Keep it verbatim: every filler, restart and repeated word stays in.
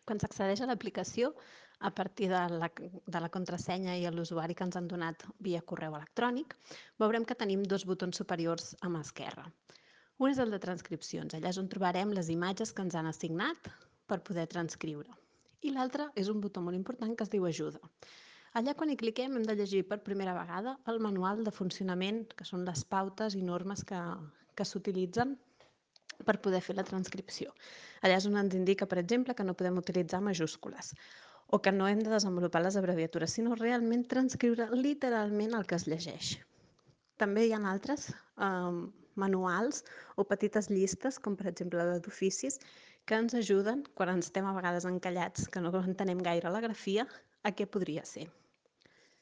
Quan s'accedeix a l'aplicació, a partir de la, de la contrasenya i l'usuari que ens han donat via correu electrònic, veurem que tenim dos botons superiors a mà esquerra. Un és el de transcripcions, allà és on trobarem les imatges que ens han assignat per poder transcriure. I l'altre és un botó molt important que es diu ajuda. Allà quan hi cliquem hem de llegir per primera vegada el manual de funcionament, que són les pautes i normes que, que s'utilitzen per poder fer la transcripció. Allà és on ens indica, per exemple, que no podem utilitzar majúscules o que no hem de desenvolupar les abreviatures, sinó realment transcriure literalment el que es llegeix. També hi ha altres eh, manuals o petites llistes, com per exemple la d'oficis, que ens ajuden, quan ens estem a vegades encallats, que no entenem gaire la grafia, a què podria ser.